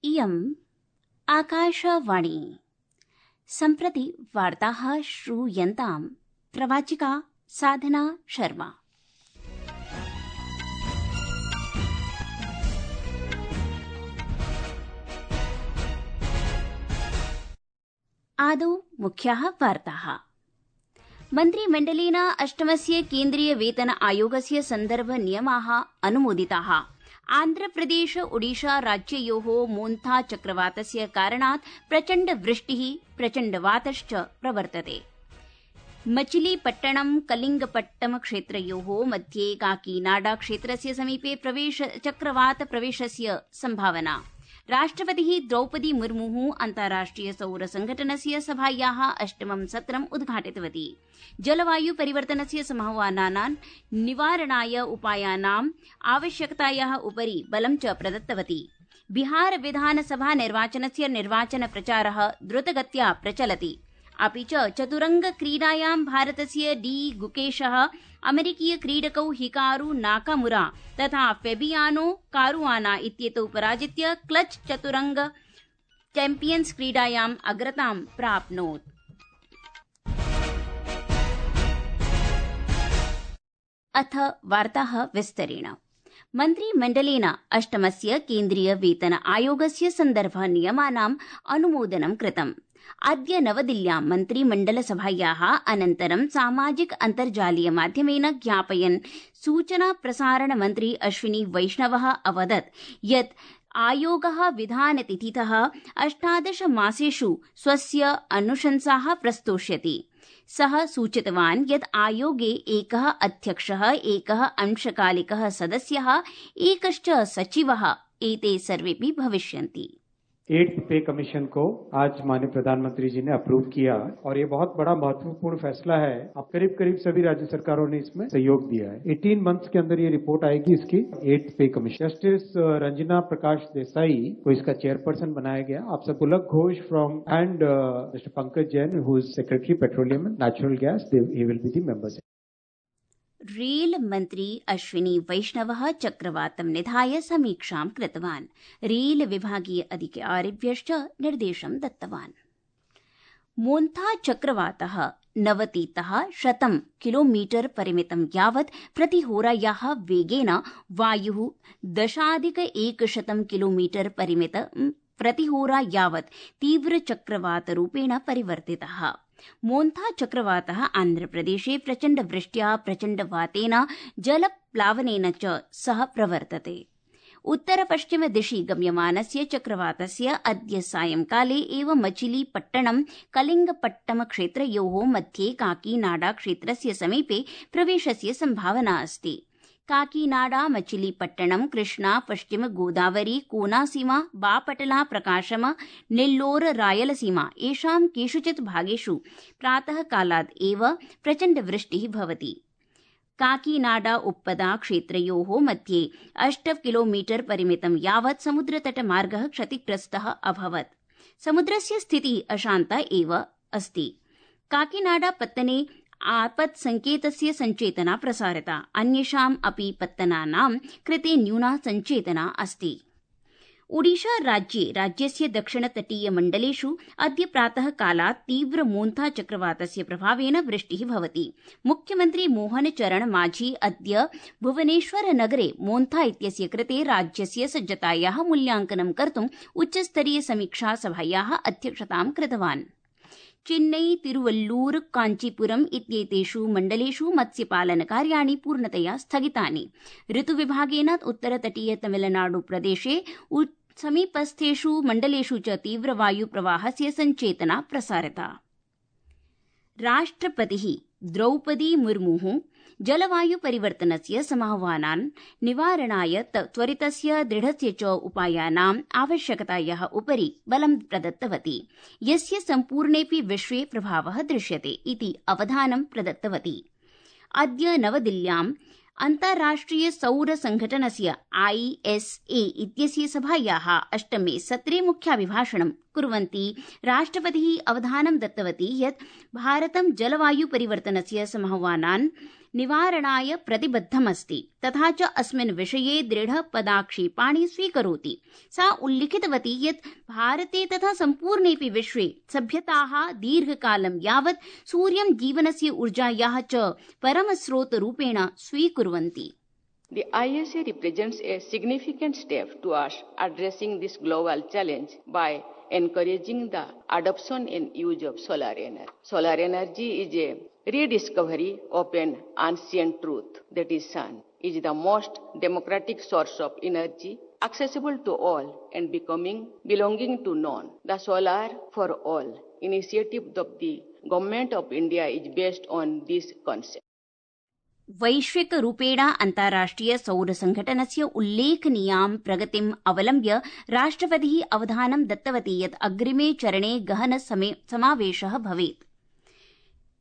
इयम् आकाशवाणी। सम्प्रति वार्ताः श्रूयन्ताम्। प्रवाचिका साधना शर्मा। आदौ मुख्याः वार्ताः। मन्त्रिमण्डलेन अष्टमस्य केन्द्रीय वेतन आयोगस्य सन्दर्भ नियमाः अनुमोदिताः। आन्ध्रप्रदेश ओडिशा राज्ययोः मोन्था चक्रवातस्य कारणात् प्रचण्ड वृष्टिः प्रचण्डवातश्च प्रवर्तते। मचिलीपट्टणं कलिंगपट्टम क्षेत्रयोः मध्ये काकीनाडा क्षेत्रस्य समीपे चक्रवात प्रवेशस्य संभावना। राष्ट्रपतिः द्रौपदी मुर्मुः अन्ताराष्ट्रिय सौर संघटनस्य सभायाः अष्टमं सत्रम् उद्घाटितवती। जलवायु परिवर्तनस्य समाह्वानानां निवारणाय उपायानाम् आवश्यकतायाः उपरि बलं च प्रदत्तवती। बिहार विधानसभा निर्वाचनस्य निर्वाचन प्रचारः द्रुतगत्या प्रचलति। अपि च चतुरंग क्रीडायां भारतस्य डी गुकेशः अमेरिकीय क्रीडकौ हिकारू नाकामुरा तथा फेबियानो कारुआना इत्येतौ पराजित्य क्लच चतुरंग चैम्पियन्स् क्रीडायाम् अग्रतां प्राप्नोत्। अथ वार्ताः विस्तरेण। मन्त्रिमण्डलेन अष्टमस्य केन्द्रीय वेतन आयोगस्य सन्दर्भ नियमानाम् अनुमोदनं कृतम्। अद्य नवदिल्ल्यां मन्त्रिमण्डलसभायाः अनन्तरं सामाजिक अन्तर्जालीय माध्यमेन ज्ञापयन् सूचना प्रसारण मन्त्री अश्विनी वैष्णवः अवदत् यत् आयोगः विधानतिथितः 18 मासेषु स्वस्य अनुशंसाः प्रस्तोष्यति। सः सूचितवान् यत् आयोगे एकः अध्यक्षः, एकः अंशकालिकः सदस्यः, एकश्च सचिवः एते सर्वेपि भविष्यन्ति। 8th पे कमीशन को आज माननीय प्रधानमंत्री जी ने अप्रूव किया और ये बहुत बड़ा महत्वपूर्ण फैसला है। अब करीब सभी राज्य सरकारों ने इसमें सहयोग दिया है। 18 मंथ्स के अंदर ये रिपोर्ट आएगी इसकी 8th pay commission. Justice Ranjana Prakash Desai को इसका चेयरपर्सन बनाया गया। आप सब Pulak Ghosh from and mister Pankaj Jain who is secretary petroleum and natural gas, he will be the members. Rail मन्त्री अश्विनी वैष्णवः चक्रवातं निधाय समीक्षां कृतवान्। रेल विभागीय अधिकारिभ्यश्च निर्देशं दत्तवान्। मोन्था चक्रवातः 90तः 100 किलोमीटर परिमितं यावत् प्रतिहोरायाः वेगेन वायुः 10,100 किलोमीटर परिमितं प्रतिहोरा यावत् तीव्रचक्रवातरूपेण परिवर्तितः। मोन्था चक्रवातः आन्ध्रप्रदेशे प्रचण्डवृष्ट्या प्रचण्डवातेन जलप्लावनेन च सह प्रवर्तते। उत्तरपश्चिम दिशि गम्यमानस्य चक्रवातस्य अद्य सायंकाले एव मचिलीपट्टणं कलिंगपट्टम क्षेत्रयोः मध्ये काकीनाडा क्षेत्रस्य समीपे प्रवेशस्य संभावना अस्ति। काकीनाडा, मचिलीपट्टणम, कृष्णा, पश्चिम गोदावरी, कोनासीमा, बापटला, प्रकाशम, नेल्लोर, रायलसीमा एषां केषुचित् भागेषु प्रातः कालात् एव प्रचण्डवृष्टिः भवति। काकीनाडा उप्पदा क्षेत्रयोः मध्ये 8 किलोमीटर परिमितं यावत् समुद्रतटमार्गः क्षतिग्रस्तः अभवत्। समुद्रस्य स्थितिः अशान्ता एव अस्ति। काकीनाडा पत्तने आपत् संकेतस्य सञ्चेतना प्रसारिता। अन्येषाम् अपि पत्तनानां कृते न्यूना सञ्चेतना अस्ति। ओडिशा राज्यस्य दक्षिणतटीय मण्डलेषु अद्य प्रातः कालात् तीव्र मोन्था चक्रवातस्य प्रभावेन वृष्टिः भवति। मुख्यमन्त्री मोहन चरण माझी अद्य भुवनेश्वर नगरे मोन्था इत्यस्य कृते राज्यस्य सज्जतायाः मूल्याङ्कनं कर्तुम् उच्चस्तरीय समीक्षा सभायाः अध्यक्षतां कृतवान्। चेन्नई, तिरुवल्लूर, काञ्चीपुरम इत्येतेषु मण्डलेषु मत्स्यपालनकार्याणि पूर्णतया स्थगितानि। ऋतुविभागेन उत्तरतटीय तमिलनाडु प्रदेशे समीपस्थेषु मण्डलेषु च तीव्रवायुप्रवाहस्य सञ्चेतना प्रसारिता। राष्ट्रपतिः द्रौपदी मुर्मुः जलवायु परिवर्तनस्य समाह्वानान् निवारणाय त्वरितस्य दृढस्य च उपायानाम् आवश्यकतायाः उपरि बलं प्रदत्तवती, यस्य सम्पूर्णेऽपि विश्वे प्रभावः दृश्यते इति अवधानं प्रदत्तवती। अद्य नवदिल्ल्याम् अन्ताराष्ट्रिय सौर संघटनस्य ISA इत्यस्य सभायाः अष्टमे सत्रे मुख्याभिभाषणं कुर्वन्ती राष्ट्रपतिः अवधानं दत्तवती यत् भारतं जलवायु परिवर्तनस्य समाह्वानान् निवारणाय प्रतिबद्धमस्ति तथा च अस्मिन् विषये दृढपदाक्षेपाणि स्वीकरोति। सा उल्लिखितवती यत् भारते तथा सम्पूर्णेऽपि विश्वे सभ्यताः दीर्घकालं यावत् सूर्यं जीवनस्य ऊर्जायाः च परमस्रोतरूपेण स्वीकुर्वन्ति। The ISA represents a significant step towards addressing this global challenge by encouraging the adoption and use of solar energy. Solar energy is a rediscovery of an ancient truth, that is sun is the most democratic source of energy, accessible to all and belonging to none. The Solar for All initiative of the Government of India is based on this concept. वैश्विक रूपेण अन्ताराष्ट्रिय सौर संघटनस्य उल्लेखनीयां प्रगतिम् अवलम्ब्य राष्ट्रपतिः अवधानं दत्तवती यत् अग्रिमे चरणे गहन समावेशः भवेत्।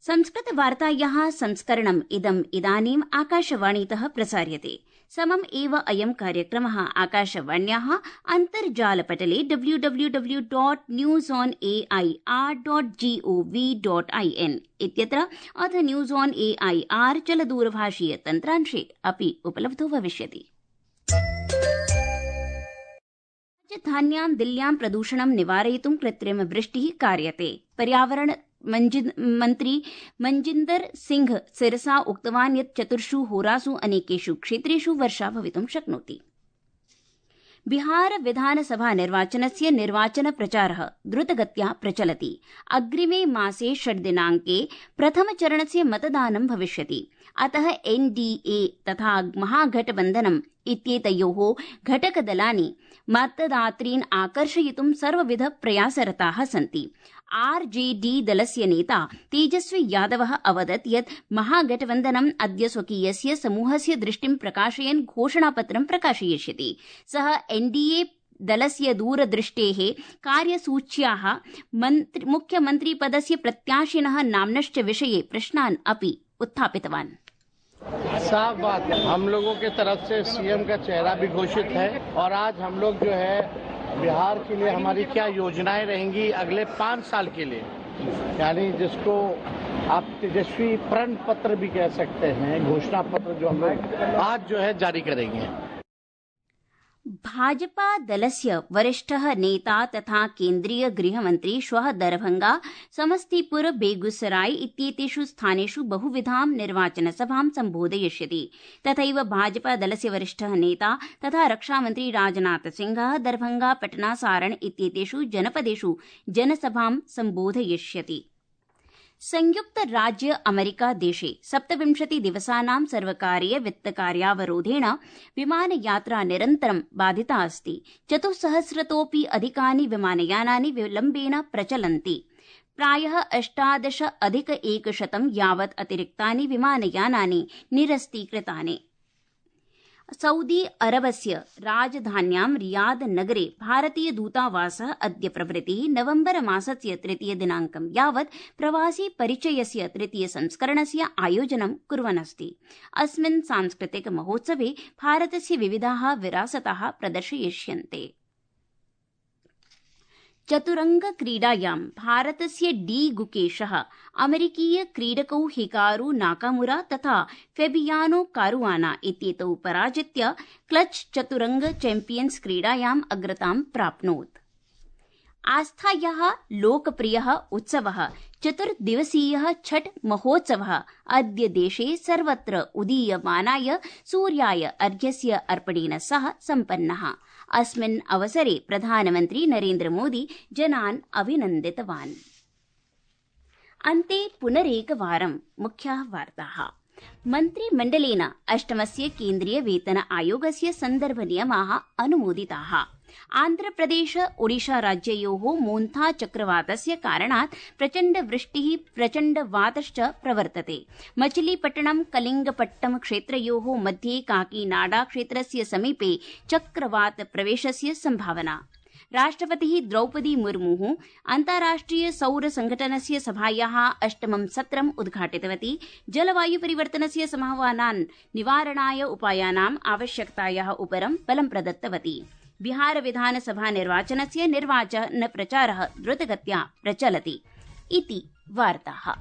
संस्कृतवार्तायाः संस्करणम् इदानीम् आकाशवाणीतः प्रसार्यते। समम् एव अयं कार्यक्रमः आकाशवाण्याः अन्तर्जालपटले www.newsonair.gov.in इत्यत्र अथ न्यूज ऑन एआईआर चलदूरभाषीय तन्त्रांशे अपि उपलब्धो भविष्यति। राजधान्यां दिल्ल्यां प्रदूषणं निवारयितुं कृत्रिमवृष्टिः कार्यते। पर्यावरण मन्त्री मनजिन्दर सिंह सिरसा उक्तवान् यत् 4 होरासु अनेकेषु क्षेत्रेषु वर्षा भवितुं शक्नोति। बिहार विधानसभा निर्वाचनस्य निर्वाचन प्रचारः द्रुतगत्या प्रचलति। अग्रिमे मासे 6 दिनाङ्के प्रथमचरणस्य मतदानं भविष्यति। अतः एनडीए तथा महागठबन्धनम् इत्येतयोः घटकदलानि मतदातॄन् आकर्षयितुं सर्वविध प्रयासरताः सन्ति। आरजेडी दलस्य नेता तेजस्वी यादवः अवदत् यत् महागठबन्धनम् अद्य स्वकीयस्य समूहस्य दृष्टिं प्रकाशयन् घोषणापत्रं प्रकाशयिष्यति। सः एनडीए दलस्य दूरदृष्टेः कार्यसूच्याः मुख्यमन्त्रिपदस्य प्रत्याशिनः नाम्नश्च विषये प्रश्नान् अपि उत्थापितवान्। साफ बात, हम लोगों के तरफ से सीएम का चेहरा भी घोषित है और आज हम लोग जो है बिहार के लिए हमारी क्या योजनाएं रहेंगी अगले 5 साल के लिए, यानी जिसको आप तेजस्वी प्रण पत्र भी कह सकते हैं, घोषणा पत्र जो हम लोग आज जो है जारी करेंगे। भाजपा दलस्य वरिष्ठः नेता तथा केन्द्रीय गृहमन्त्री श्वः दरभंगा, समस्तीपुर, बेगूसराय इत्येतेषु स्थानेषु बहुविधां निर्वाचनसभां सम्बोधयिष्यति। तथैव भाजपा दलस्य वरिष्ठः नेता तथा रक्षामन्त्री राजनाथ सिंहः दरभंगा, पटना, सारण इत्येतेषु जनपदेषु जनसभां सम्बोधयिष्यति। संयुक्त राज्य अमेरिका देशे 27 दिवसानां सर्वकारीय वित्तकार्यावरोधेन विमानयात्रा निरन्तरं बाधिता अस्ति। 400तोऽपि अधिकानि विमानयानानि विलम्बेन प्रचलन्ति। प्रायः 18,100 यावत् अतिरिक्तानि विमानयानानि निरस्तीकृतानि। सऊदी अरबस्य राजधान्यां रियाद नगरे भारतीय दूतावासः अद्य प्रभृतिः नवम्बर मासस्य 3 दिनाङ्कं यावत् प्रवासी परिचयस्य 3 संस्करणस्य आयोजनं कुर्वन्नस्ति। अस्मिन् सांस्कृतिक महोत्सवे भारतस्य विविधाः विरासताः प्रदर्शयिष्यन्ते। चतुरंग क्रीडायां भारतस्य डी गुकेशः अमेरिकीय क्रीडकौ हिकारू नाकामुरा तथा फेबियानो कारुआना इत्येतौ पराजित्य क्लच चतुरंग चैम्पियन्स् क्रीडायाम् अग्रतां प्राप्नोत्। आस्थायाः लोकप्रियः उत्सवः 4-दिवसीयः छठ महोत्सवः अद्य देशे सर्वत्र उदीयमानाय सूर्याय अर्घ्यस्य अर्पणेन सह सम्पन्नः। अस्मिन् अवसरे प्रधानमन्त्री नरेन्द्र मोदी जनान् अभिनन्दितवान्। अन्ते पुनरेकवारं मुख्याः वार्ताः। मन्त्रिमण्डलेन 8मस्य केन्द्रीय वेतन आयोगस्य सन्दर्भनियमाः अनुमोदिताः। आन्ध्रप्रदेश ओडिशा राज्ययोः मोन्था चक्रवातस्य कारणात् प्रचण्डवृष्टिः प्रचण्डवातश्च प्रवर्तते। मचिलीपट्टणं कलिंगपट्टम क्षेत्रयोः मध्ये काकीनाडा क्षेत्रस्य समीपे चक्रवात प्रवेशस्य संभावना। राष्ट्रपतिः द्रौपदी मुर्मुः अन्ताराष्ट्रिय सौर संघटनस्य सभायाः 8मं सत्रम् उद्घाटितवती। जलवायु परिवर्तनस्य समाह्वानान् निवारणाय उपायानाम् आवश्यकतायाः उपरं बलं प्रदत्तवती। बिहार विधानसभा निर्वाचनस्य निर्वाचन प्रचारः द्रुतगत्या प्रचलति इति वार्ताः।